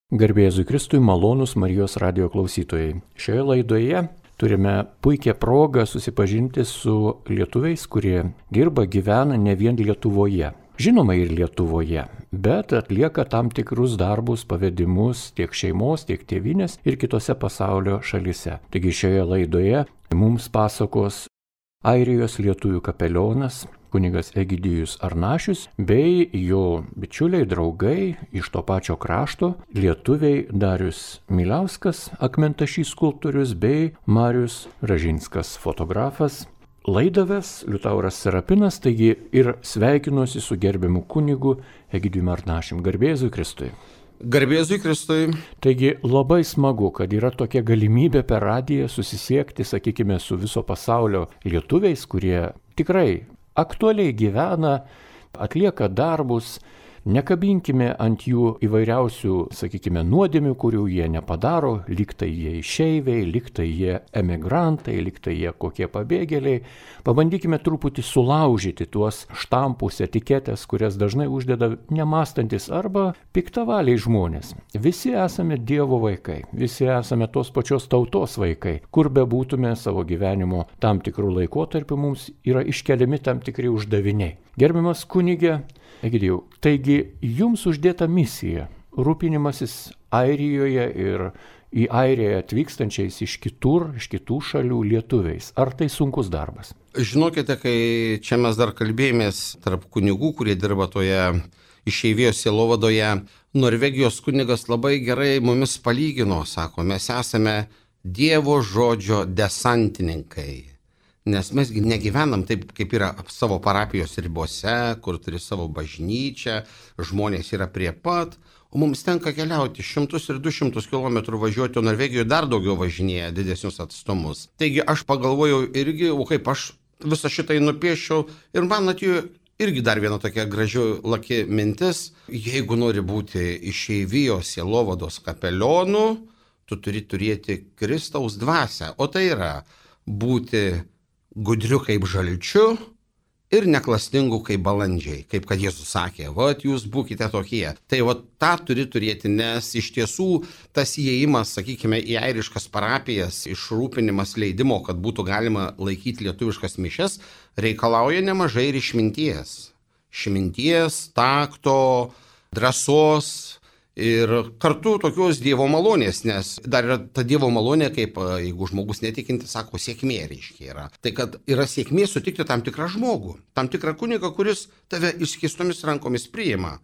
Garbė Jėzui Kristui, malonūs Marijos radijo klausytojai. Šioje laidoje turime puikią progą susipažinti su lietuviais, kurie dirba, gyvena ne vien Lietuvoje. Žinoma ir Lietuvoje, bet atlieka tam tikrus darbus, pavedimus tiek šeimos, tiek tėvynės ir kitose pasaulio šalise. Taigi šioje laidoje mums pasakos Airijos lietuvių kapelionas kunigas Egidijus Arnašius bei jo bičiuliai, draugai iš to pačio krašto, lietuviai Darius Miliauskas, akmentašys skulptorius bei Marius Ražinskas, fotografas. Laidą ves Liutauras Serapinas, taigi ir sveikinuosi su gerbiamu kunigu Egidijumi Arnašium. Garbė Jėzui Kristui. Garbė Jėzui Kristui. Taigi labai smagu, kad yra tokia galimybė per radiją susisiekti, sakykime, su viso pasaulio lietuviais, kurie tikrai aktualiai gyvena, atlieka darbus. Nekabinkime ant jų įvairiausių, sakykime, nuodėmių, kurių jie nepadaro, lyg tai jie išeiviai, lyg tai jie emigrantai, lyg tai jie kokie pabėgėliai. Pabandykime truputį sulaužyti tuos štampus, etiketės, kurias dažnai uždeda nemąstantis arba piktavaliai žmonės. Visi esame Dievo vaikai, visi esame tos pačios tautos vaikai. Kur bebūtume savo gyvenimo tam tikrų laikotarpių, mums yra iškeliami tam tikri uždaviniai. Gerbiamas kunige Egidijau, taigi jums uždėta misija rūpinimasis Airijoje ir į Airiją atvykstančiais iš kitų šalių lietuviais. Ar tai sunkus darbas? Žinokite, kai čia mes dar kalbėjomės tarp kunigų, kurie dirba toje išeivijos sielovadoje, Norvegijos kunigas labai gerai mumis palygino, sako, mes esame Dievo žodžio desantininkai. Nes mes negyvenam taip, kaip yra savo parapijos ribose, kur turi savo bažnyčią, žmonės yra prie pat, o mums tenka keliauti 100 ir 200 km važiuoti, o Norvegijoje dar daugiau važinėja didesnius atstumus. Taigi aš pagalvojau irgi, o kaip aš visą šitai nupiešiau, ir man atėjo irgi dar viena tokia graži laki mintis, jeigu nori būti išeivijos sielovados kapelionu, tu turi turėti Kristaus dvasią, o tai yra būti gudriu kaip žalčiu ir neklastingu kaip balandžiai, kaip kad Jėzus sakė, vat jūs būkite tokie. Tai vat tą turi turėti, nes iš tiesų tas įėjimas, sakykime, į airiškas parapijas, išrūpinimas leidimo, kad būtų galima laikyti lietuviškas mišias, reikalauja nemažai ir išminties. Išminties, takto, drąsos ir kartu tokios Dievo malonės, nes dar yra ta Dievo malonė, kaip jeigu žmogus netikinti, sako, sėkmė reiškia yra. Tai kad yra sėkmė sutikti tam tikrą žmogų, tam tikrą kunigą, kuris tave išskėstomis rankomis priima.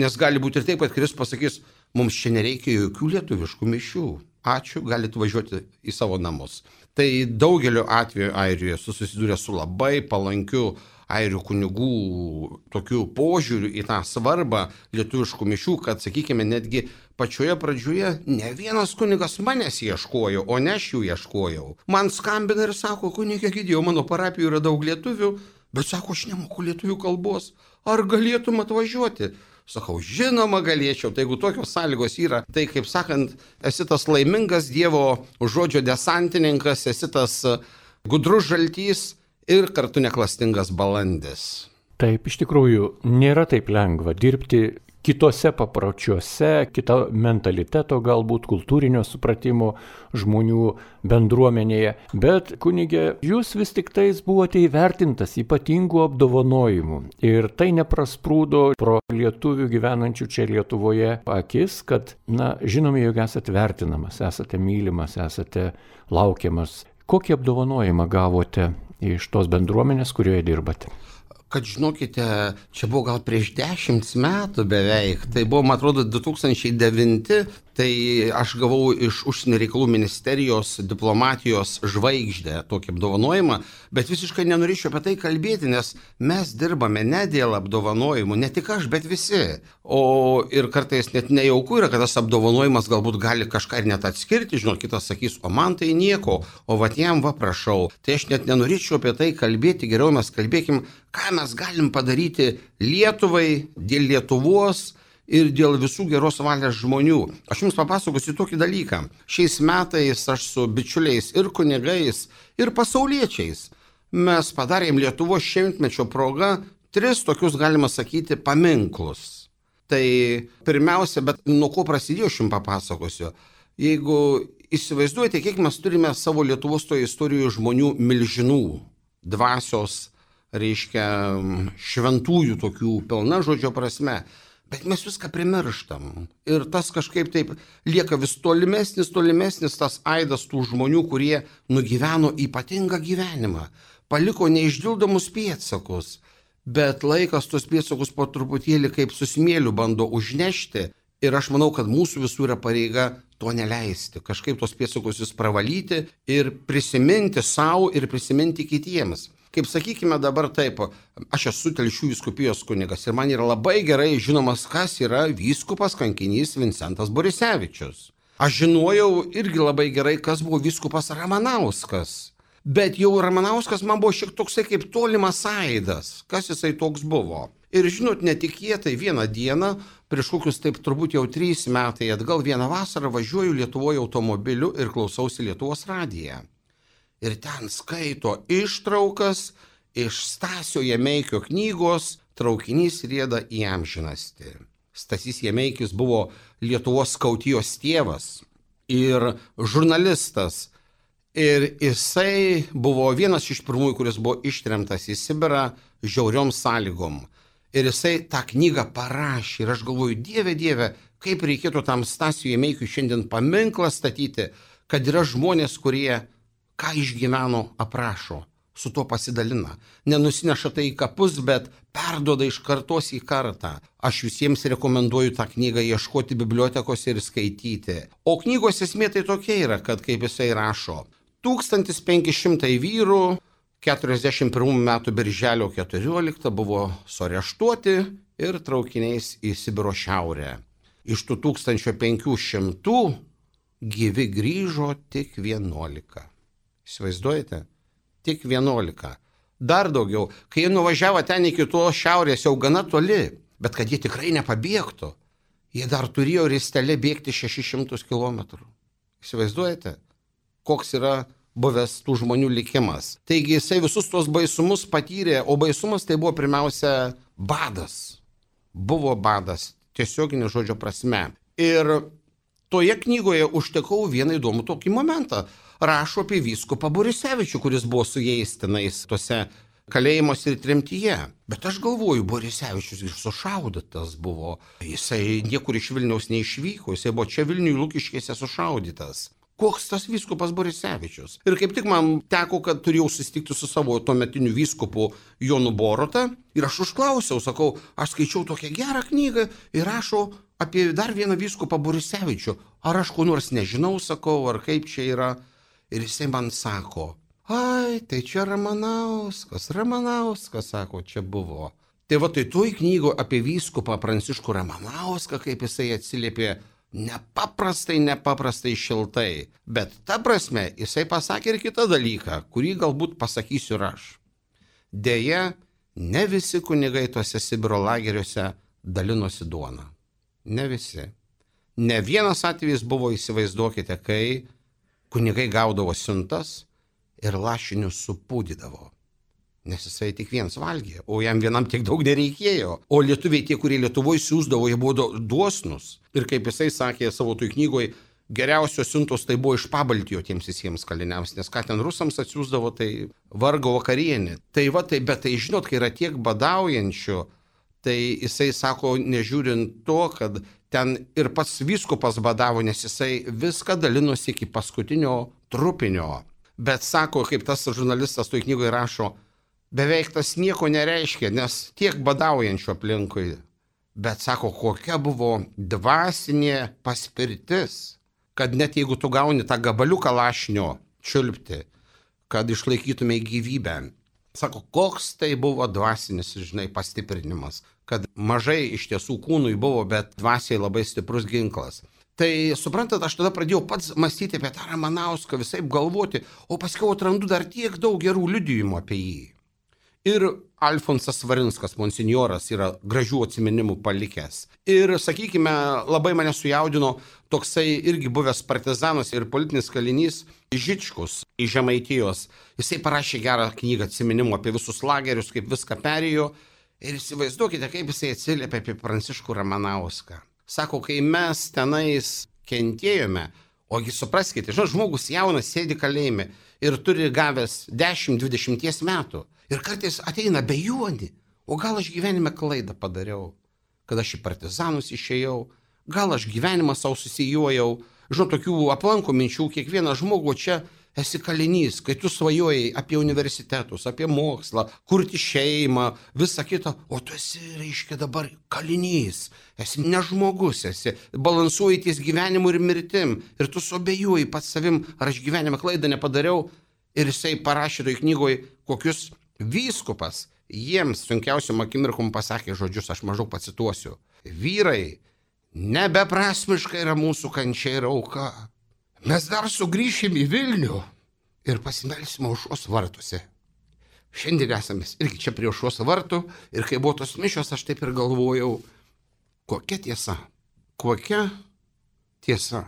Nes gali būti ir taip, kad Kristus pasakys, mums čia nereikia jokių lietuviškų mišių. Ačiū, galite važiuoti į savo namus. Tai daugeliu atveju Airijoje susidūrė su labai palankiu airių kunigų tokių požiūrių į tą svarbą lietuviškų mišių, kad, sakykime, netgi pačioje pradžioje ne vienas kunigas manęs ieškojo, o ne aš jų ieškojau. Man skambina ir sako, kunige Egidijau, mano parapijoje yra daug lietuvių, bet sako, aš nemoku lietuvių kalbos. Ar galėtum atvažiuoti? Sakau, žinoma galėčiau, tai jeigu tokios sąlygos yra, tai kaip sakant, esi tas laimingas Dievo žodžio desantininkas, esi tas gudrus žaltys, ir kartu neklastingas balandis. Taip, iš tikrųjų, nėra taip lengva dirbti kitose papročiuose, kito mentaliteto, galbūt kultūrinio supratimo žmonių bendruomenėje. Bet, kunige, jūs vis tik tais buvote įvertintas ypatingų apdovanojimų. Ir tai neprasprūdo pro lietuvių gyvenančių čia Lietuvoje akis, kad, žinome, jog esate vertinamas, esate mylimas, esate laukiamas. Kokį apdovanojimą gavote iš tos bendruomenės, kurioje dirbate? Kad žinokite, čia buvo gal prieš 10 metų beveik, tai buvo, man atrodo, 2009, tai aš gavau iš Užsienio reikalų ministerijos diplomatijos žvaigždę tokį apdovanojimą, bet visiškai nenorėčiau apie tai kalbėti, nes mes dirbame ne dėl apdovanojimų, ne tik aš, bet visi. O ir kartais net nejauku yra, kad tas apdovanojimas galbūt gali kažką ir net atskirti, žinot, kitas sakys, o man tai nieko, o vat jam prašau. Tai aš net nenorėčiau apie tai kalbėti, geriau mes kalbėkim, ką mes galim padaryti Lietuvai, dėl Lietuvos ir dėl visų geros valios žmonių. Aš jums papasakosiu tokį dalyką. Šiais metais aš su bičiuliais ir kunigais, ir pasauliečiais mes padarėm Lietuvos 100-mečio proga 3 tokius, galima sakyti, paminklus. Tai pirmiausia, bet nuo ko prasidėjo, aš jums papasakosiu. Jeigu įsivaizduojate, kiek mes turime savo Lietuvos toje istorijoje žmonių milžinų, dvasios, reiškia, šventųjų tokių pilna žodžio prasme. Bet mes viską primirštam. Ir tas kažkaip taip lieka vis tolimesnis tas aidas tų žmonių, kurie nugyveno ypatingą gyvenimą, paliko neišdildomus pėdsakus, bet laikas tos pėdsakus po truputėlį kaip su smėliu bando užnešti. Ir aš manau, kad mūsų visų yra pareiga to neleisti, kažkaip tos pėdsakus vis pravalyti ir prisiminti savo ir prisiminti kitiems. Kaip sakykime dabar taip, aš esu Telšių vyskupijos kunigas ir man yra labai gerai žinomas, kas yra vyskupas kankinys Vincentas Borisevičius. Aš žinojau irgi labai gerai, kas buvo vyskupas Ramanauskas. Bet jau Ramanauskas man buvo šiek toksai kaip tolimas aidas, kas jisai toks buvo. Ir žinot, netikėtai vieną dieną, prieš kokius taip turbūt jau 3 metai atgal, vieną vasarą važiuoju Lietuvoje automobiliu ir klausausi Lietuvos radiją. Ir ten skaito ištraukas iš Stasio Jemeikio knygos Traukinys rieda į amžinastį. Stasys Jemeikis buvo Lietuvos skautijos tėvas ir žurnalistas. Ir jisai buvo vienas iš pirmųjų, kuris buvo ištremtas į Sibirą žiauriom sąlygom. Ir jisai tą knygą parašė. Ir aš galvoju, Dieve, kaip reikėtų tam Stasiui Jemeikiui šiandien paminklą statyti, kad yra žmonės, kurie ką išgyveno, aprašo, su tuo pasidalina. Nenusineša tai į kapus, bet perduoda iš kartos į kartą. Aš visiems rekomenduoju tą knygą ieškoti bibliotekose ir skaityti. O knygos esmė tai tokia yra, kad kaip jisai rašo, 1500 vyrų 41 metų birželio 14 buvo suareštuoti ir traukiniais į Sibiro šiaurę. Iš tų 1500 gyvi grįžo tik 11. Įsivaizduojate? Tik 11. Dar daugiau, kai jie nuvažiavo ten iki to šiaurės jau gana toli, bet kad jie tikrai nepabėgtų, jie dar turėjo ristelė bėgti 600 km. Įsivaizduojate, koks yra buvęs tų žmonių likimas. Taigi jisai visus tos baisumus patyrė, o baisumas tai buvo pirmiausia badas. Buvo badas, tiesioginė žodžio prasme. Ir toje knygoje užtekau vieną įdomų tokį momentą. Rašo apie vyskupą Borisevičių, kuris buvo su jais tenais tose kalėjimuose ir tremtyje. Bet aš galvoju, Borisevičius ir sušaudytas buvo. Jisai niekur iš Vilniaus neišvyko, jisai buvo čia Vilniuje Lukiškėse sušaudytas. Koks tas vyskupas Borisevičius? Ir kaip tik man teko, kad turėjau susitikti su savo tuometiniu vyskupu Jonu Borota. Ir aš užklausiau, sakau, aš skaičiau tokią gerą knygą ir rašo apie dar vieną vyskupą Borisevičių. Ar aš ko nors nežinau, sakau, ar kaip čia yra? Ir jisai man sako, ai, tai čia Ramanauskas, sako, čia buvo. Tai va, tai toj knygo apie vyskupą Pranciškų Ramanauską, kaip jisai atsiliepė, nepaprastai šiltai. Bet ta prasme, jisai pasakė ir kitą dalyką, kurį galbūt pasakysiu ir aš. Deja, ne visi kunigai tose Sibiro lageriuose dalinosi duoną. Ne visi. Ne vienas atvejis buvo, įsivaizduokite, kai kunigai gaudavo siuntas ir lašinius supūdydavo. Nes jisai tik vienas valgė, o jam vienam tiek daug nereikėjo. O lietuviai, tie, kurie Lietuvoje siūsdavo, jie buvo dosnus. Ir kaip jisai sakė savo toj knygoje, geriausios siuntos tai buvo iš Pabaltijo tiems visiems kaliniams, nes ką ten rusams atsiųsdavo, tai vargo vakarienė. Tai va, tai, bet tai žinot, kai yra tiek badaujančių, tai jisai sako, nežiūrint to, kad ten ir pats vyskupas badavo, nes jisai viską dalinosi iki paskutinio trupinio. Bet sako, kaip tas žurnalistas toj knygoje rašo, beveik tas nieko nereiškia, nes tiek badaujančių aplinkui. Bet sako, kokia buvo dvasinė paspirtis, kad net jeigu tu gauni tą gabaliuką lašnio čiulpti, kad išlaikytumai gyvybę. Sako, koks tai buvo dvasinis, žinai, pastiprinimas, kad mažai iš tiesų kūnui buvo, bet dvasiai labai stiprus ginklas. Tai suprantat, aš tada pradėjau pats mąstyti apie tą Ramanauską, visaip galvoti, o paskiau atrandu dar tiek daug gerų liudijimų apie jį. Ir Alfonsas Svarinskas, monsinjoras, yra gražių atsiminimų palikęs. Ir, sakykime, labai mane sujaudino toksai irgi buvęs partizanas ir politinis kalinys Žičkus iš Žemaitijos. Jisai parašė gerą knygą atsiminimų apie visus lagerius, kaip viską perėjo. Ir įsivaizduokite, kaip jisai atsiliepia apie Pranciškų Ramanauską. Sako, kai mes tenais kentėjome, ogi supraskite, žmogus jaunas sėdi kalėjime ir turi gavęs 10-20 metų. Ir kartais ateina bejonį, o gal aš gyvenime klaidą padariau, kad aš į partizanus išėjau, gal aš gyvenimą savo susijojau. Tokių aplanko minčių, kiekvieną žmogų čia esi kalinys, kai tu svajojai apie universitetus, apie mokslą, kurti šeimą, visą kitą, o tu esi, reiškia, dabar kalinys, esi ne žmogus, esi balansuoji ties gyvenimu ir mirtim, ir tu suabejoji pats savim, ar aš gyvenime klaidą nepadariau, ir jisai parašė toj knygoj, kokius vyskupas jiems sunkiausiam akimirkom pasakė žodžius, aš maždaug pacituosiu. Vyrai, nebeprasmiška yra mūsų kančia ir auka. Mes dar sugrįšim į Vilnių ir pasimelsime aušros vartuose. Šiandien esame irgi čia prie aušros vartų ir kai buvo tos mišios, aš taip ir galvojau, kokia tiesa, kokia tiesa.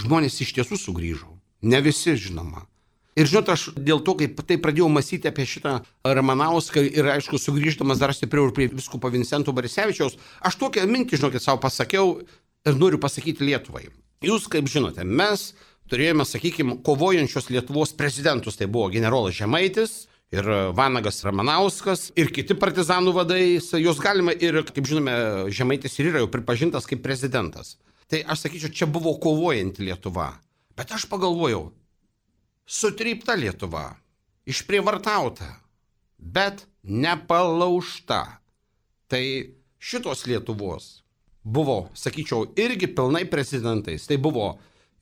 Žmonės iš tiesų sugrįžo, ne visi žinoma. Ir aš dėl to, kaip tai pradėjau mąstyti apie šitą Ramanauską ir aišku, sugrįždamas dar stipriau ir prie vyskupo Vincento Borisevičiaus, aš tokią mintį, savo pasakiau ir noriu pasakyti Lietuvai. Jūs, kaip žinote, mes turėjome, sakykime, kovojančios Lietuvos prezidentus, tai buvo generolas Žemaitis ir Vanagas Ramanauskas ir kiti partizanų vadai, jos galima ir, kaip žinome, Žemaitis ir yra jau pripažintas kaip prezidentas. Tai aš sakyčiau, čia buvo kovojanti Lietuva. Bet aš pagalvojau, sutrypta Lietuva, išprievartauta, bet nepalaužta. Tai šitos Lietuvos buvo, sakyčiau, irgi pilnai prezidentais. Tai buvo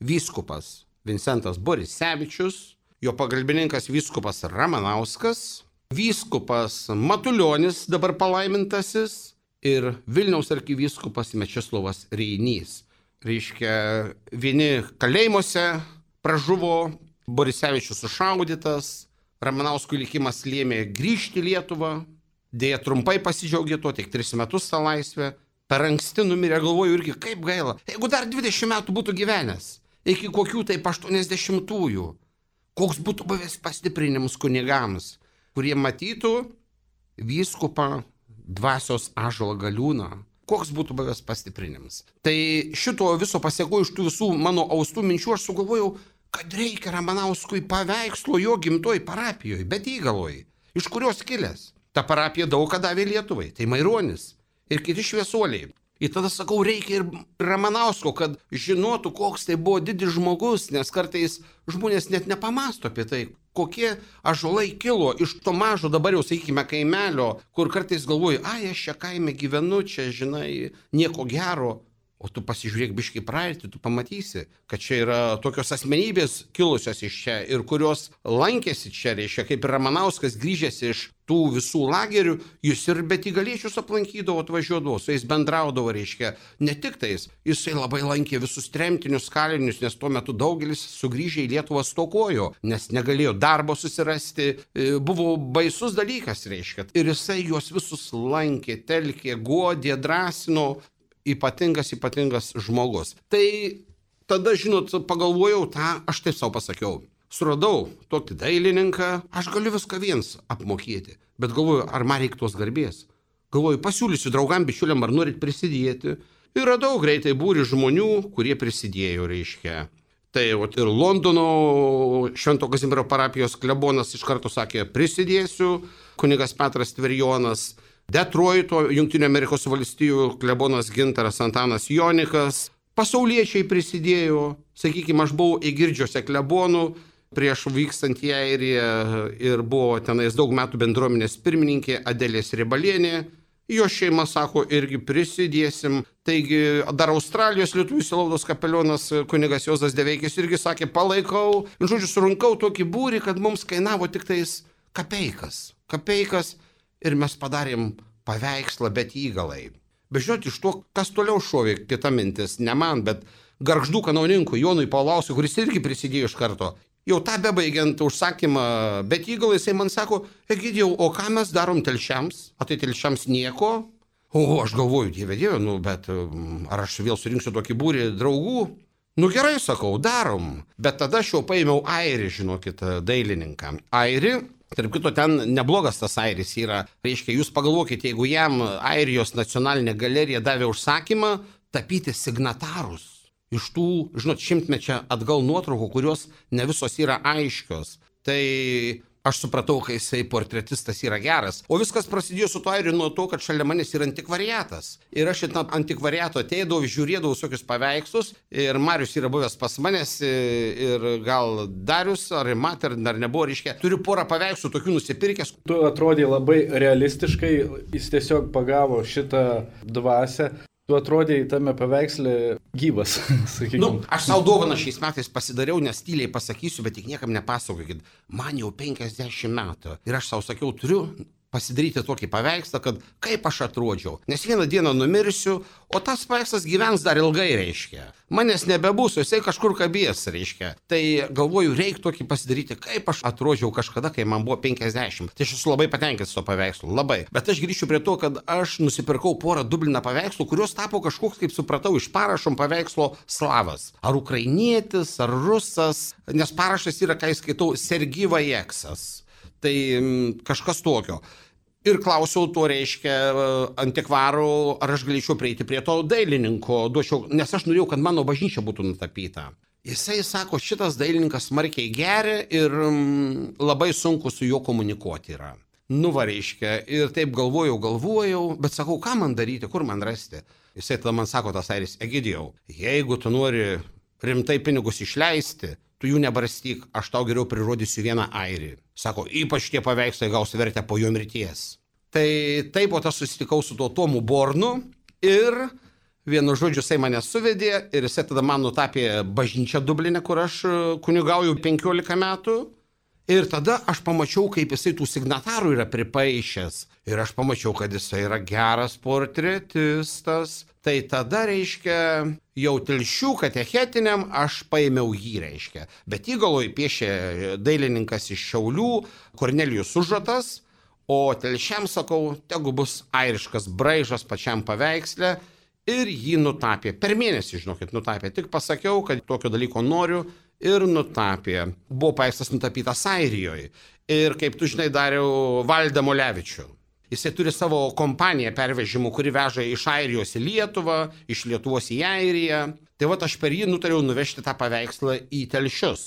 vyskupas Vincentas Borisevičius, jo pagalbininkas vyskupas Ramanauskas, vyskupas Matulionis, dabar palaimintasis, ir Vilniaus arkivyskupas Mečislovas Reinys. Reiškia, vieni kalėjimuose pražuvo, Borisevičius sušaudytas, Ramanauskui likimas lėmė grįžti į Lietuvą, dėja trumpai pasidžiaugė to, tik 3 metus tą laisvę. Per anksti numirė, galvoju irgi, kaip gaila. Jeigu dar 20 metų būtų gyvenęs, iki kokių taip 80-ųjų, koks būtų buvęs pastiprinimus kunigams, kurie matytų vyskupą dvasios ąžuolą Galiūną. Koks būtų buvęs pastiprinimas. Tai šito viso pasiekoju iš tų visų mano austų minčių, aš sugalvojau, kad reikia Ramanauskui paveikslo jo gimtoj parapijoje, Betygaloj, iš kurios kilęs. Ta parapija daug ką davė Lietuvai, tai Maironis ir kiti šviesuoliai. Ir tada sakau, reikia ir Ramanausko, kad žinotų, koks tai buvo didis žmogus, nes kartais žmonės net nepamasto apie tai, kokie ąžuolai kilo iš to mažo dabar jau, sakykime, kaimelio, kur kartais galvoju, aš čia kaime gyvenu, čia, žinai, nieko gero. O tu pasižiūrėk biškį praeitį, tu pamatysi, kad čia yra tokios asmenybės kilusios iš čia ir kurios lankėsi čia, reiškia, kaip ir Ramanauskas grįžęs iš tų visų lagerių, jis ir Betygaliečius aplankydavo, atvažiuodavo, su jais bendraudavo, reiškia, ne tik tais, jisai labai lankė visus tremtinius kalinius, nes tuo metu daugelis sugrįžę į Lietuvą stokojo, nes negalėjo darbo susirasti, buvo baisus dalykas, reiškia, ir jisai juos visus lankė, telkė, godė, drąsino. Ypatingas žmogus. Tai tada, žinot, pagalvojau tą, aš taip savo pasakiau. Suradau tokį dailininką, aš galiu viską viens apmokėti. Bet galvoju, ar man reikia tos garbės. Galvoju, pasiūlysiu draugam, bičiuliam, ar norit prisidėti. Ir radau greitai būrį žmonių, kurie prisidėjo, reiškia. Tai ir Londono Švento Kazimiero parapijos klebonas iš karto sakė, prisidėsiu, kunigas Petras Tverjonas, Detroito, Jungtinių Amerikos valstijų klebonas Gintaras Antanas Jonikas, pasauliečiai prisidėjo, sakykime, aš buvau Eigirdžiuose klebonų prieš vykstant į Airiją ir buvo tenais daug metų bendruomenės pirmininkė Adelės Ribalienė, jo šeima sako, irgi prisidėsim, taigi dar Australijos lietuvių sielovados kapelionas kunigas Juozas Deveikis irgi sakė, palaikau, žodžiu, surinkau tokį būrį, kad mums kainavo tik tais kapeikas, ir mes padarėm paveikslą Betygalai. Bet žinot, iš to, kas toliau šovė, kita mintis, ne man, bet Gargždų kanauninkui Jonui Paulauskui, kuris irgi prisidėjo iš karto. Jau tą bebaigiant užsakymą Betygalai, jisai man sako, Egidijau, o ką mes darom telšiams? O tai telšiams nieko? O aš galvoju, dieve, bet ar aš vėl surinksiu tokį būrį draugų? Gerai, sakau, darom. Bet tada aš jau paėmiau Airį, žinokit, dailininką. Airį, Tarp kito, ten neblogas tas airis yra. Reiškia, jūs pagalvokite, jeigu jam Airijos nacionalinė galerija davė užsakymą tapyti signatarus iš tų, žinot, 100-mečio atgal nuotraukų, kurios ne visos yra aiškios. Tai aš supratau, kai jisai portretistas yra geras. O viskas prasidėjo su to airiu nuo to, kad šalia manęs yra antikvariatas. Ir aš į tą antikvariato ateidavau, žiūrėdavau visokius paveikslus. Ir Marius yra buvęs pas manęs ir gal Darius ar Mat, ar dar nebuvo, reiškia. Turiu porą paveikslų tokių nusipirkęs. Tu atrodai labai realistiškai, jis tiesiog pagavo šitą dvasią. Tu atrodai tame paveiksle gyvas, sakykime. Aš savo dovaną šiais metais pasidariau, nes tyliai pasakysiu, bet tik niekam nepasakokit. Man jau 50 metų. Ir aš savo sakiau, turiu pasidaryti tokį paveikslą, kad kaip aš atrodžiau. Nes vieną dieną numirsiu, o tas paveikslas gyvens dar ilgai, reiškia. Manęs nebebus, jisai kažkur kabės, reiškia. Tai galvoju, reikia tokį pasidaryti, kaip aš atrodžiau kažkada, kai man buvo 50. Tai aš esu labai patenkintas to paveikslu, labai. Bet aš grįšiu prie to, kad aš nusipirkau porą Dublino paveikslų, kurios tapo kažkoks, kaip supratau, iš parašom paveikslo slavas. Ar ukrainietis, ar rusas, nes parašas yra, kai skaitau, Sergi Vajeksas. Tai kažkas tokio. Ir klausiau to, reiškia, antikvarų, ar aš galėčiau prieiti prie to dailininko, nes aš norėjau, kad mano bažnyčia būtų nutapyta. Jisai sako, šitas dailininkas smarkiai geria ir labai sunku su juo komunikuoti yra. Reiškia, ir taip galvojau, bet sakau, ką man daryti, kur man rasti? Jisai tada man sako, tas airis, Egidijau, jeigu tu nori rimtai pinigus išleisti, tu jų nebarstyk, aš tau geriau prirodysiu vieną airį. Sako, ypač tie paveikslai gaus vertę po jo mirties. Tai taip, o tas susitikau su tuo Tomu Bornu ir vienu žodžiu jisai mane suvedė ir jisai tada man nutapė bažnyčią Dubline, kur aš kunigauju 15 metų. Ir tada aš pamačiau, kaip jisai tų signatarų yra pripaišęs. Ir aš pamačiau, kad jisai yra geras portretistas. Tai tada, reiškia, jau Telšių katechetiniam aš paėmiau jį, reiškia. Bet įgaloj piešė dailininkas iš Šiaulių, Kornelijus Užratas, o Telšiam, sakau, tegu bus airiškas braižas pačiam paveiksle ir jį nutapė. Per mėnesį, žinokit, nutapė. Tik pasakiau, kad tokio dalyko noriu ir nutapė. Buvo paveikslas nutapytas Airijoje. Ir kaip tu žinai, dariau Valdą Molevičių. Jisai turi savo kompaniją pervežimų, kuri veža iš Airijos į Lietuvą, iš Lietuvos į Airiją. Tai va aš per jį nutariau nuvežti tą paveikslą į Telšius.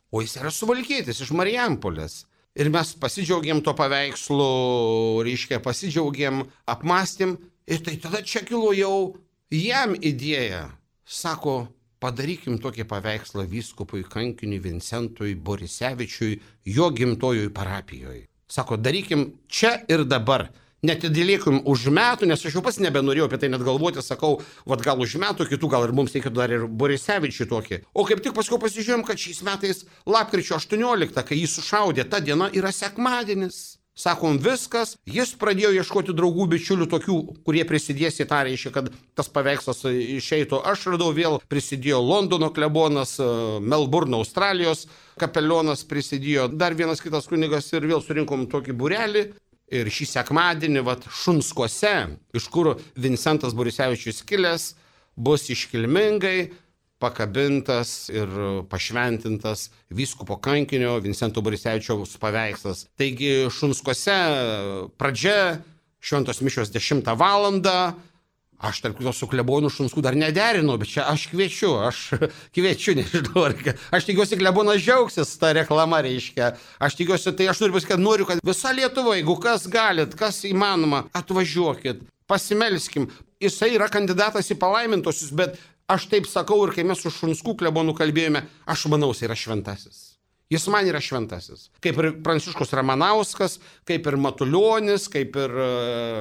O jis yra suvalkietis iš Marijampolės. Ir mes pasidžiaugėm to paveikslu, reiškia, apmąstėm. Ir tai tada čia kilo jau jam idėja. Sako, padarykim tokį paveikslą vyskupui kankiniui Vincentui Borisevičiui jo gimtojoj parapijoje. Sako, darykim čia ir dabar. Netidėlėkim už metų, nes aš jau pats nebenorėjau apie tai net galvoti, sakau, vat gal už metų, kitų gal ir mums reikėtų dar ir Borisevičiui tokį. O kaip tik paskui pasižiūrėjom, kad šiais metais lapkričio 18, kai jį sušaudė, ta diena yra sekmadienis. Sakom, viskas, jis pradėjo ieškoti draugų, bičiulių tokių, kurie prisidės į tą, reiškia, kad tas paveikslas išeitų. Aš radau vėl, prisidėjo Londono klebonas, Melburno, Australijos kapelionas prisidėjo, dar vienas kitas kunigas ir vėl surinkom tokį būrelį. Ir šį sekmadienį, Šunskuose, iš kur Vincentas Borisevičius kilęs, bus iškilmingai pakabintas ir pašventintas vyskupo kankinio Vincento Borisevičiaus paveikslas. Taigi Šunskuose pradžia, šventos mišios 10 valandą. Aš tarp kito su klebonu Šunskų dar nederinau, bet čia aš kviečiu, nežinau, aš tikiuosi klebonas džiaugsis tą reklamą, reiškia. Aš tikiuosi, tai aš noriu, kad visa Lietuva, jeigu kas galit, kas įmanoma, atvažiuokit, pasimelskim. Jisai yra kandidatas į palaimintosius, bet aš taip sakau ir kai mes su Šunskų klebonu kalbėjome, aš manau, jis yra šventasis. Jis man yra šventasis. Kaip ir Pranciškus Ramanauskas, kaip ir Matulionis, kaip ir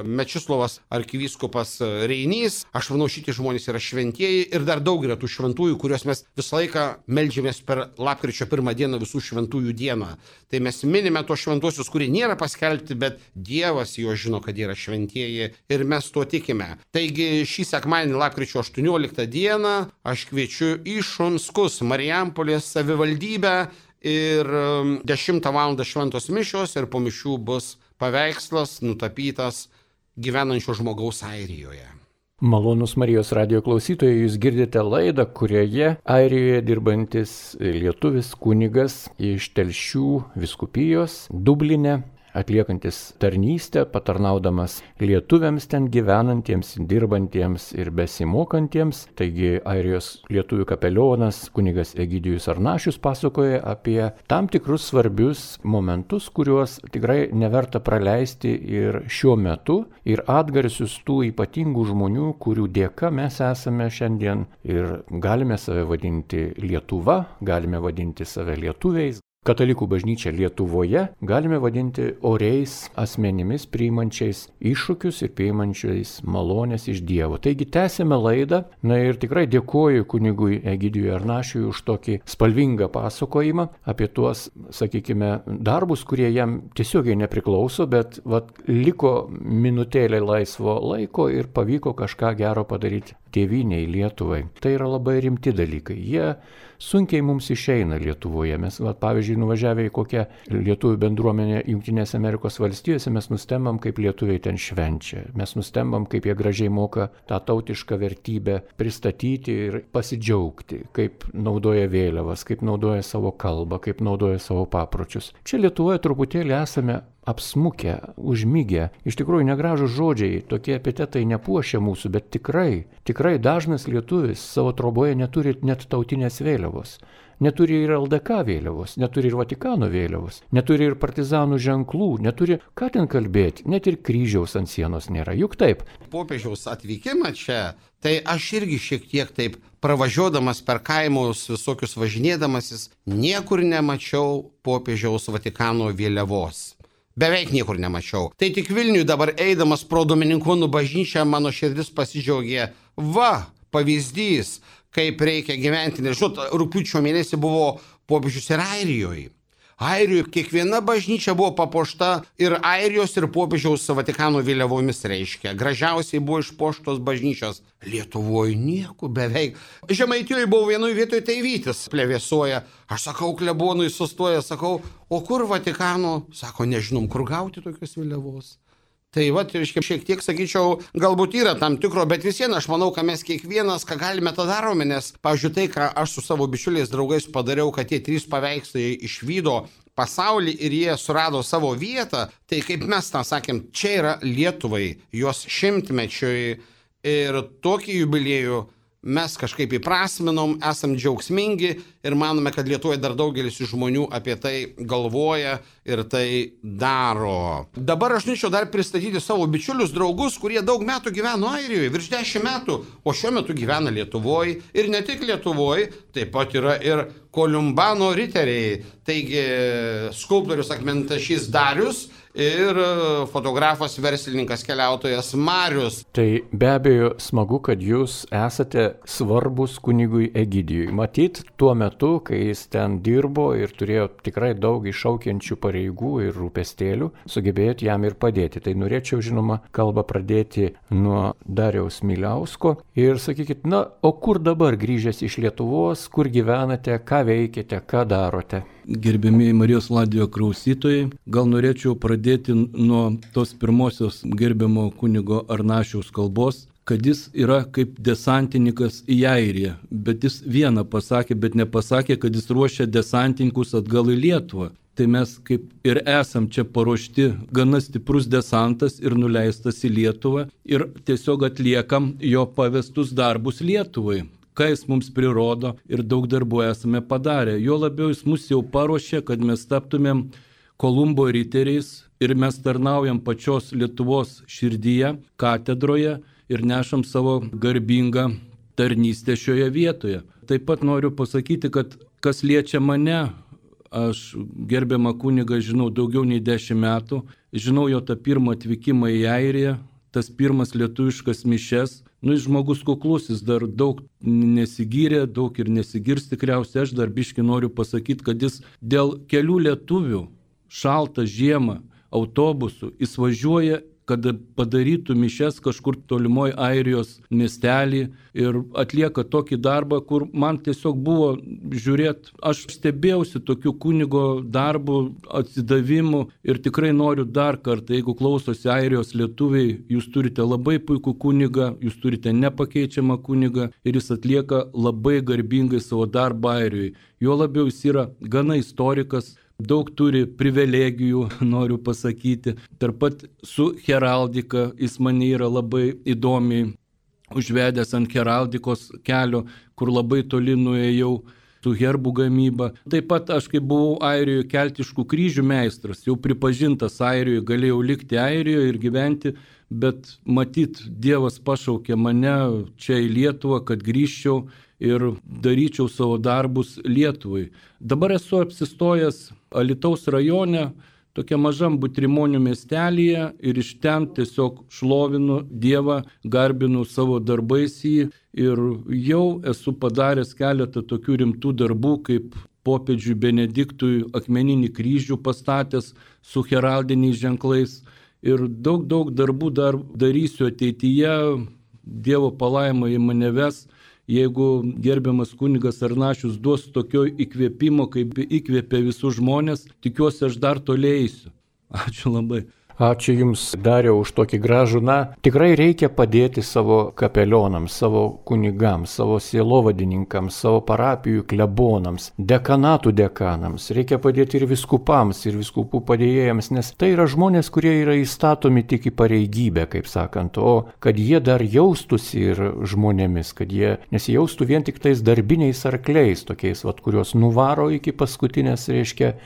Mečislovas arkivyskupas Reinys. Aš manau, šitie žmonės yra šventieji ir dar daug yra tų šventųjų, kuriuos mes visą laiką meldžiamės per lapkričio 1 dieną, visų šventųjų dieną. Tai mes minime tos šventuosius, kurie nėra paskelbti, bet Dievas jo žino, kad yra šventieji ir mes tuo tikime. Taigi šį sekmadienį lapkričio 18 dieną aš kviečiu į Šunskus, Marijampolės savivaldybę. Ir 10 val. Šventos mišios ir po mišių bus paveikslas nutapytas gyvenančio žmogaus Airijoje. Malonus Marijos radio klausytojai, jūs girdite laidą, kurioje Airijoje dirbantis lietuvis kunigas iš Telšių vyskupijos Dubline, atliekantis tarnystę, patarnaudamas lietuviams ten gyvenantiems, dirbantiems ir besimokantiems. Taigi Airijos lietuvių kapelionas kunigas Egidijus Arnašius pasakoja apie tam tikrus svarbius momentus, kuriuos tikrai neverta praleisti ir šiuo metu, ir atgarsius tų ypatingų žmonių, kurių dėka mes esame šiandien ir galime save vadinti Lietuva, galime vadinti save lietuviais. Katalikų bažnyčia Lietuvoje galime vadinti oriais asmenimis, priimančiais iššūkius ir priimančiais malonės iš Dievo. Taigi tęsime laidą, ir tikrai dėkoju kunigui Egidijui Arnašiui už tokį spalvingą pasakojimą apie tuos, sakykime, darbus, kurie jam tiesiogiai nepriklauso, bet liko minutėlė laisvo laiko ir pavyko kažką gero padaryti tėvynei Lietuvai. Tai yra labai rimti dalykai. Jie sunkiai mums išeina Lietuvoje. Mes, pavyzdžiui, nuvažiavę į kokią lietuvių bendruomenę Jungtinėse Amerikos valstijose, mes nustembam, kaip lietuviai ten švenčia. Mes nustembam, kaip jie gražiai moka tą tautišką vertybę pristatyti ir pasidžiaugti, kaip naudoja vėliavas, kaip naudoja savo kalbą, kaip naudoja savo papročius. Čia Lietuvoje truputėlį esame apsmukę, užmygę. Iš tikrųjų negražūs žodžiai, tokie epitetai nepuošia mūsų, bet tikrai dažnas lietuvis savo troboje neturi net tautinės vėliavos. Neturi ir LDK vėliavos, neturi ir Vatikano vėliavos, neturi ir partizanų ženklų, neturi, ką ten kalbėti, net ir kryžiaus ant sienos nėra, juk taip. Popiežiaus atvykimą čia, tai aš irgi šiek tiek taip pravažiuodamas per kaimus, visokius važinėdamasis, niekur nemačiau popiežiaus Vatikano vėliavos. Beveik niekur nemačiau. Tai tik Vilniuje dabar eidamas pro Dominikonų bažnyčią mano širdis pasidžiaugė. Pavyzdys, kaip reikia gyventi. Nežinot, rugpjūčio mėnesį buvo popiežius ir Airijoje. Airijoje kiekviena bažnyčia buvo papuošta ir Airijos ir popiežiaus Vatikano vėliavomis reiškia. Gražiausiai buvo išpuoštos bažnyčios. Lietuvoje nieko beveik. Žemaitijoje buvo vienoje vietoje tai Vytis plevėsuoja. Aš sakau, klebonui sustoja, sakau, o kur Vatikano? Sako, nežinom, kur gauti tokios vėliavos. Tai šiek tiek, sakyčiau, galbūt yra tam tikro, bet vis vien aš manau, kad mes kiekvienas, ką galime, tą darome, nes, pavyzdžiui, tai, ką aš su savo bičiuliais draugais padariau, kad tie 3 paveikslai išvydo pasaulį ir jie surado savo vietą, tai kaip mes tą sakėm, čia yra Lietuvai, jos 100-mečiui ir tokį jubiliejų mes kažkaip įprasminom, esam džiaugsmingi ir manome, kad Lietuvoje dar daugelis žmonių apie tai galvoja ir tai daro. Dabar aš norėčiau dar pristatyti savo bičiulius, draugus, kurie daug metų gyveno Airijoje, virš 10 metų, o šiuo metu gyvena Lietuvoje ir ne tik Lietuvoje, taip pat yra ir Kolumbano riteriai, taigi skulptorius akmentašys Darius ir fotografas, verslininkas, keliautojas Marius. Tai be abejo smagu, kad jūs esate svarbus kunigui Egidijui. Matyt, tuo metu, kai jis ten dirbo ir turėjo tikrai daug iššaukiančių pareigų ir rūpestėlių, sugebėjot jam ir padėti. Tai norėčiau, žinoma, kalbą pradėti nuo Dariaus Miliausko ir sakykit, o kur dabar grįžęs iš Lietuvos, kur gyvenate, ką veikiate, ką darote? Gerbėmiai Marijos radijo klausytojai, gal norėčiau pradėti nuo tos pirmosios gerbiamo kunigo Arnašiaus kalbos, kad jis yra kaip desantininkas į Airiją, bet jis vieną pasakė, bet nepasakė, kad jis ruošia desantininkus atgal į Lietuvą. Tai mes kaip ir esam čia paruošti gana stiprus desantas ir nuleistas į Lietuvą ir tiesiog atliekam jo pavestus darbus Lietuvai. Ką jis mums prirodo ir daug darbų esame padarę. Jo labiau jis mus jau paruošė, kad mes taptumėm Kolumbo riteriais ir mes tarnaujam pačios Lietuvos širdyje, katedroje ir nešam savo garbingą tarnystę šioje vietoje. Taip pat noriu pasakyti, kad kas liečia mane, aš gerbiamą kunigą žinau daugiau nei 10 metų, žinau jo tą pirmą atvykimą į Airiją, tas pirmas lietuviškas mišes. Jis žmogus kuklus, jis dar daug nesigyrė, daug ir nesigirs tikriausiai. Aš dar biškį noriu pasakyti, kad jis dėl kelių lietuvių šaltą žiemą autobusu jis važiuoja kad padarytų mišias kažkur tolimoj Airijos miestelį ir atlieka tokį darbą, kur man tiesiog buvo žiūrėti, aš stebėjausi tokiu kunigo darbu, atsidavimu ir tikrai noriu dar kartą, jeigu klausosi Airijos lietuviai, jūs turite labai puikų kunigą, jūs turite nepakeičiamą kunigą ir jis atlieka labai garbingai savo darbą Airijoje. Jo labiau jis yra gana istorikas, daug turi privilegijų, noriu pasakyti. Tarp pat su heraldika jis mane yra labai įdomiai užvedęs ant heraldikos kelio, kur labai toli nuėjau su herbų gamyba. Taip pat aš, kai buvau Airijoje keltiškų kryžių meistras, jau pripažintas Airijoje, galėjau likti Airijoje ir gyventi, bet matyt, Dievas pašaukė mane čia į Lietuvą, kad grįžčiau ir daryčiau savo darbus Lietuvai. Dabar esu apsistojęs Alytaus rajone, tokia mažam Butrimonių miestelyje ir iš ten tiesiog šlovinu Dievą, garbinu savo darbais jį ir jau esu padaręs keletą tokių rimtų darbų, kaip popiežiui Benediktui akmeninį kryžių pastatęs su heraldiniais ženklais ir daug darbų dar darysiu ateityje, Dievo palaima į mane ves. Jeigu gerbiamas kunigas Arnašius duos tokio įkvėpimo, kaip įkvėpė visus žmonės, tikiuosi aš dar toliau eisiu. Ačiū labai. Ačiū Jums, Dariau, už tokį gražų. Tikrai reikia padėti savo kapelionams, savo kunigams, savo sielovadininkams, savo parapijų klebonams, dekanatų dekanams. Reikia padėti ir viskupams, ir viskupų padėjėjams, nes tai yra žmonės, kurie yra įstatomi tik į pareigybę, kaip sakant, o kad jie dar jaustųsi ir žmonėmis, kad jie nesijaustų vien tik tais darbiniais arkliais, tokiais, kuriuos nuvaro iki paskutinės,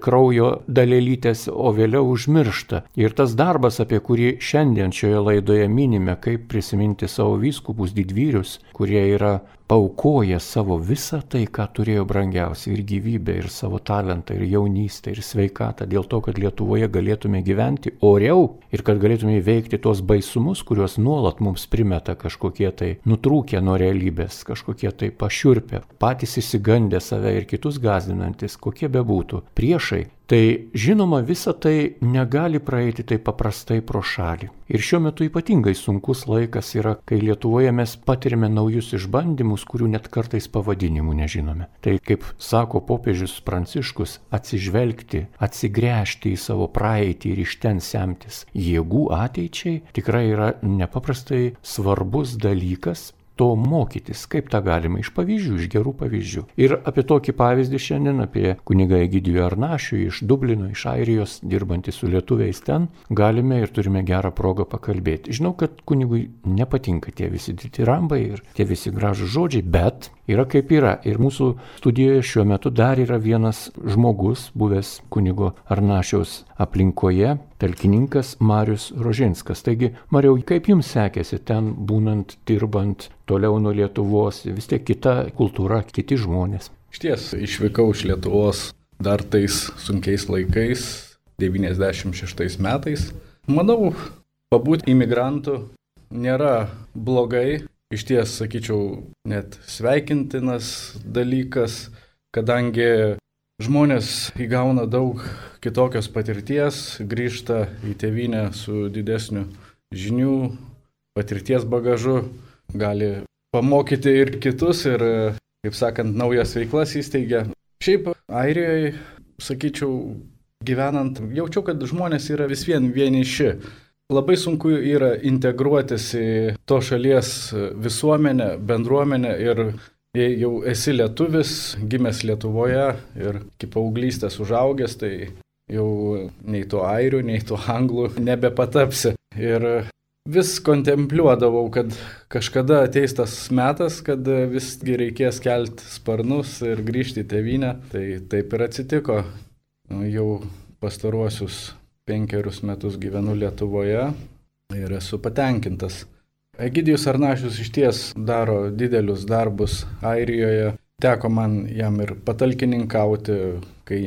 kraujo dalelytės, o vėliau užmiršta. Ir tas darbas, apie kurį šiandien šioje laidoje minime, kaip prisiminti savo vyskupus didvyrius, kurie yra paaukoję savo visą tai, ką turėjo brangiausia, ir gyvybę, ir savo talentą, ir jaunystę, ir sveikatą, dėl to, kad Lietuvoje galėtume gyventi oriau ir kad galėtume įveikti tos baisumus, kuriuos nuolat mums primeta kažkokie tai nutrūkę nuo realybės, kažkokie tai pašiurpę, patys įsigandę save ir kitus gąsdinantis, kokie bebūtų priešai. Tai žinoma, visa tai negali praeiti taip paprastai pro šalį. Ir šiuo metu ypatingai sunkus laikas yra, kai Lietuvoje mes patirime naujus išbandymus, kurių net kartais pavadinimų nežinome. Tai, kaip sako popiežius Pranciškus, atsižvelgti, atsigręžti į savo praeitį ir iš ten semtis jėgų ateičiai tikrai yra nepaprastai svarbus dalykas. To mokytis, kaip tą galima iš pavyzdžių, iš gerų pavyzdžių. Ir apie tokį pavyzdį šiandien, apie kunigą Egidijų Arnašių iš Dublino, iš Airijos, dirbantį su lietuviais ten, galime ir turime gerą progą pakalbėti. Žinau, kad kunigui nepatinka tie visi ditirambai ir tie visi gražūs žodžiai, bet yra kaip yra. Ir mūsų studijoje šiuo metu dar yra vienas žmogus, buvęs kunigo Arnašiaus aplinkoje, talkininkas Marius Rožinskas. Taigi, Mariau, kaip jums sekėsi ten būnant, dirbant toliau nuo Lietuvos, vis tiek kita kultūra, kiti žmonės? Išties, išvykau iš Lietuvos dar tais sunkiais laikais, 96 metais. Manau, pabūti imigrantų nėra blogai. Išties, sakyčiau, net sveikintinas dalykas, kadangi žmonės įgauna daug kitokios patirties, grįžta į tėvynę su didesniu žinių, patirties bagažu, gali pamokyti ir kitus ir, kaip sakant, naujas veiklas įsteigia. Šiaip Airijoje, sakyčiau, gyvenant, jaučiu, kad žmonės yra vis vien vieniši. Labai sunku yra integruotis į to šalies visuomenę, bendruomenę ir jei jau esi lietuvis, gimęs Lietuvoje ir iki paauglystės užaugęs, tai jau nei to airių, nei to anglų nebepatapsi. Ir vis kontempliuodavau, kad kažkada ateis tas metas, kad visgi reikės kelti sparnus ir grįžti į tėvynę. Tai taip ir atsitiko. Jau pastaruosius 5 metus gyvenu Lietuvoje ir esu patenkintas. Egidijus Arnašius išties daro didelius darbus Airijoje. Teko man jam ir patalkininkauti, kai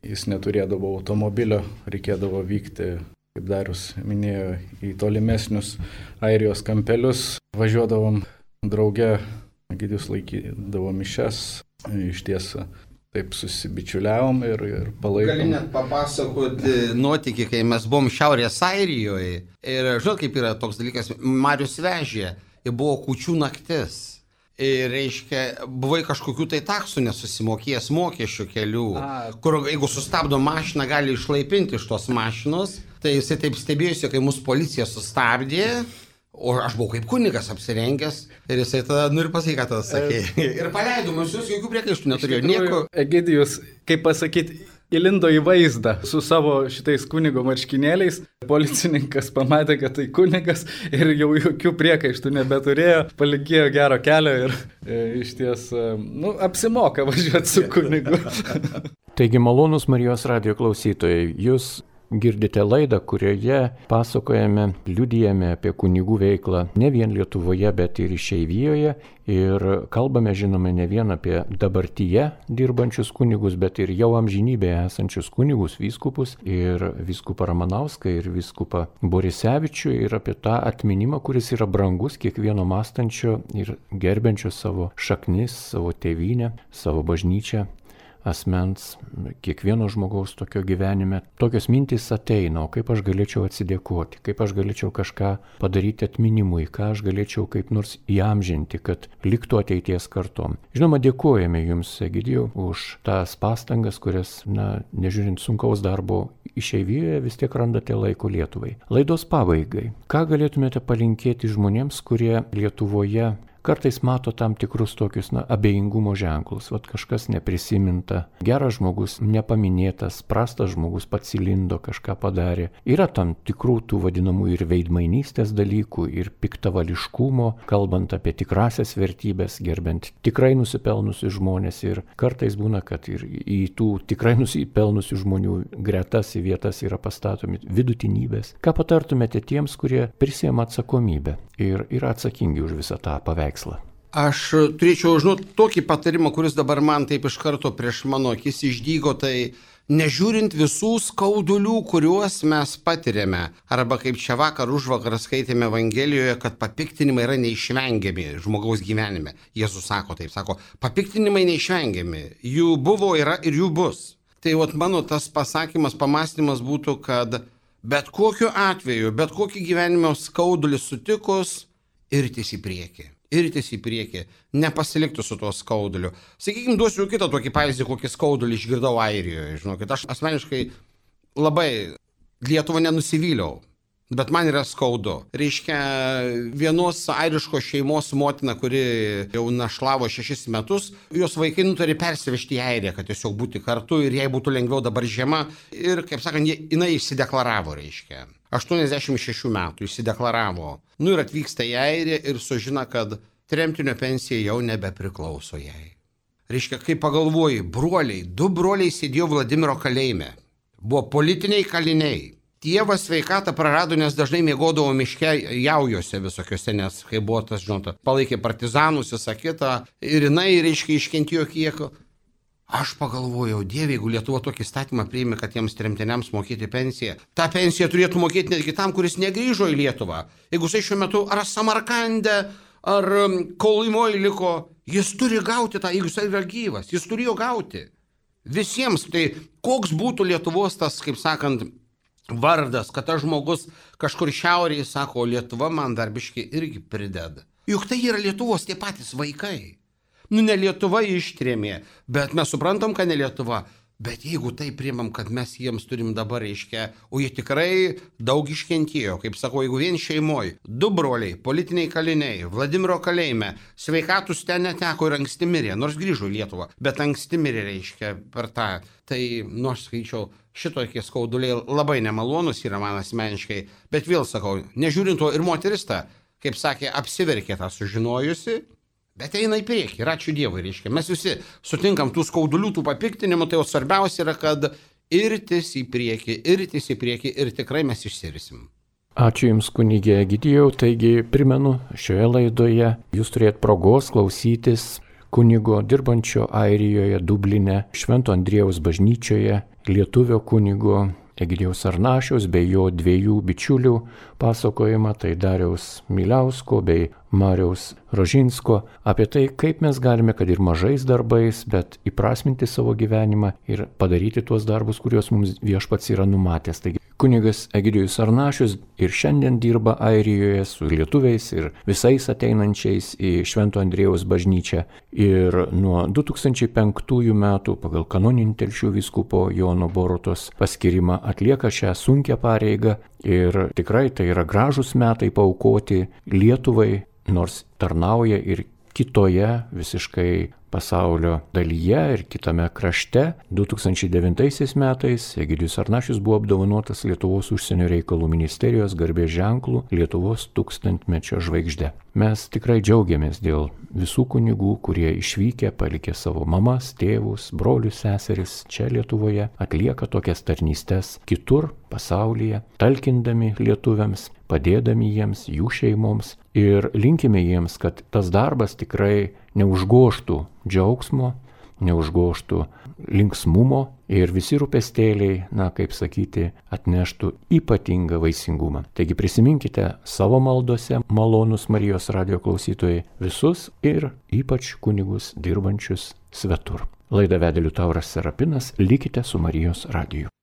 jis neturėdavo automobilio, reikėdavo vykti, kaip Darius minėjo, į tolimesnius Airijos kampelius. Važiuodavom drauge, Egidijus laikydavo mišias. Išties taip susibičiuliavom ir palaikom. Gali net papasakoti nuotykį, kai mes buvom Šiaurės Airijoje ir žinot, kaip yra toks dalykas, Marius vežė ir buvo kūčių naktis. Ir reiškia, buvai kažkokių tai taksų nesusimokėjęs mokesčių kelių, kur jeigu sustabdo mašiną, gali išlaipinti iš tos mašinos. Tai jisai taip stebėjusi, kai mūsų policija sustabdė, o aš buvau kaip kunigas apsirengęs ir jisai tada, ir pasakė, ką tada sakė. Ir paleido mus, jūs jokių priekaištų neturėjo. Nieko. Egidijus, kaip pasakyti, įlindo į vaizdą su savo šitais kunigo marškinėliais. Policininkas pamatė, kad tai kunigas ir jau jokių priekaištų nebeturėjo, palinkėjo gero kelio ir iš ties, apsimoka važiuoti su kunigu. Taigi, malonūs Marijos radijo klausytojai, jūs girdite laidą, kurioje pasakojame, liudijame apie kunigų veiklą ne vien Lietuvoje, bet ir išeivijoje. Ir kalbame, žinome, ne vien apie dabartyje dirbančius kunigus, bet ir jau amžinybėje esančius kunigus, vyskupus, ir vyskupą Ramanauską, ir vyskupą Borisevičių, ir apie tą atminimą, kuris yra brangus kiekvieno mąstančio ir gerbiančio savo šaknis, savo tėvynę, savo bažnyčią asmens, kiekvieno žmogaus tokio gyvenime. Tokios mintys ateina, o kaip aš galėčiau atsidėkoti, kaip aš galėčiau kažką padaryti atminimui, ką aš galėčiau kaip nors įamžinti, kad liktų ateities kartom. Žinoma, dėkojame Jums, Egidijau, už tas pastangas, kurias, nežiūrint sunkaus darbo išeivijoje, vis tiek randate laiko Lietuvai. Laidos pabaigai. Ką galėtumėte palinkėti žmonėms, kurie Lietuvoje kartais mato tam tikrus tokius abejingumo ženklus, kažkas neprisiminta, geras žmogus nepaminėtas, prastas žmogus pats įlindo, kažką padarė. Yra tam tikrų tų vadinamų ir veidmainystės dalykų, ir piktavališkumo, kalbant apie tikrasias vertybės, gerbent tikrai nusipelnusius žmonės, ir kartais būna, kad ir į tų tikrai nusipelnusių žmonių gretas į vietas yra pastatomi vidutinybės. Ką patartumėte tiems, kurie prisiema atsakomybę ir yra atsakingi už visą tą paveikslą? Aš turėčiau žinoti tokį patarimą, kuris dabar man taip iš karto prieš mano akis išdygo, tai nežiūrint visų skaudulių, kuriuos mes patiriame, arba kaip čia vakar užvakar skaitėme Evangelijoje, kad papiktinimai yra neišvengiami žmogaus gyvenime. Jėzus sako taip, sako, papiktinimai neišvengiami, jų buvo, yra ir jų bus. Tai mano tas pasakymas, pamąstymas būtų, kad bet kokiu atveju, bet kokį gyvenimo skaudulį sutikus, irtis į priekį, nepasiliktų su tuo skauduliu. Sakykime, duosiu kitą tokį pavyzdį, kokį skaudulį išgirdau Airijoje. Žinokit, aš asmeniškai labai Lietuvą nenusivyliau, bet man yra skaudu. Reiškia, vienos airiškos šeimos motina, kuri jau našlavo 6 metus, jos vaikai nutarė persivežti į Airiją, kad tiesiog būti kartu ir jai būtų lengviau dabar žiema. Ir, kaip sakant, jinai išsideklaravo, reiškia. 86 metų išsideklaravo. Ir atvyksta į Airiją ir sužina, kad tremtinio pensija jau nebepriklauso jai. Reiškia, kai pagalvoji, broliai, 2 broliai sėdėjo Vladimiro kalėjime. Buvo politiniai kaliniai. Tėvas sveikatą prarado, nes dažnai miegodavo miške jaujose visokiose, nes kai buvo tas, palaikė partizanus, visą kitą. Ir jinai, reiškia, iškentėjo kiek. Aš pagalvojau, Dieve, jeigu Lietuva tokį statymą priėmė, kad jiems tremtiniams mokėti pensiją, tą pensiją turėtų mokėti netgi tam, kuris negrįžo į Lietuvą. Jeigu jisai šiuo metu ar Samarkande, ar Kolimoje liko, jis turi gauti tą, jeigu jisai yra gyvas, jis turėjo gauti. Visiems, tai koks būtų Lietuvos tas, kaip sakant, vardas, kad tas žmogus kažkur šiaurėje sako, Lietuva man dar biškį irgi prideda. Juk tai yra Lietuvos tie patys vaikai. Ne Lietuva ištrėmė, bet mes suprantam, kad ne Lietuva. Bet jeigu tai priimam, kad mes jiems turim dabar, reiškia, o jie tikrai daug iškentėjo, kaip sakau, jeigu vien šeimoje, 2 broliai, politiniai kaliniai, Vladimiro kalėjime, sveikatus ten neteko ir anksti mirė, nors grįžo į Lietuvą, bet anksti mirė, reiškia, per tą. Tai, aš skaičiau, šitokie skauduliai labai nemalonus yra man asmeniškai, bet vėl sakau, nežiūrint to ir moteris ta, kaip sakė, apsiverkė tą sužinojusi. Bet eina į priekį ir ačiū Dievui, reiškia. Mes visi sutinkam tų skaudulių, tų papiktinimų, tai jau svarbiausia yra, kad irtis į priekį ir tikrai mes išsirisim. Ačiū Jums, kunigė Egidijau. Taigi, primenu, šioje laidoje jūs turėt progos klausytis kunigo dirbančio Airijoje, Dubline, Švento Andriejaus bažnyčioje, lietuvio kunigo Egidijaus Arnašiaus bei jo 2 bičiulių pasakojimą, tai Dariaus Miliausko bei Mariaus Rožinsko apie tai, kaip mes galime, kad ir mažais darbais, bet įprasminti savo gyvenimą ir padaryti tuos darbus, kuriuos mums Viešpats yra numatęs. Taigi kunigas Egidijus Arnašius ir šiandien dirba Airijoje su lietuviais ir visais ateinančiais į Švento Andriejaus bažnyčią. Ir nuo 2005 metų pagal kanoninį Telšių vyskupo Jono Borutos paskirimą atlieka šią sunkią pareigą. Ir tikrai tai yra gražūs metai paaukoti Lietuvai, nors tarnauja ir kitoje visiškai pasaulio dalyje ir kitame krašte. 2009 metais Egidijus Arnašius buvo apdovanotas Lietuvos užsienio reikalų ministerijos garbės ženklu Lietuvos tūkstantmečio žvaigžde. Mes tikrai džiaugiamės dėl visų kunigų, kurie išvykę, palikę savo mamas, tėvus, brolius, seseris čia Lietuvoje, atlieka tokias tarnystes kitur pasaulyje, talkindami lietuviams, padėdami jiems, jų šeimoms ir linkime jiems, kad tas darbas tikrai neužgoštų džiaugsmo, neužgoštų linksmumo ir visi rūpestėliai, kaip sakyti, atneštų ypatingą vaisingumą. Taigi prisiminkite savo maldose, malonus Marijos radijo klausytojai, visus ir ypač kunigus dirbančius svetur. Laidą vedė Liutauras Serapinas, likite su Marijos radiju.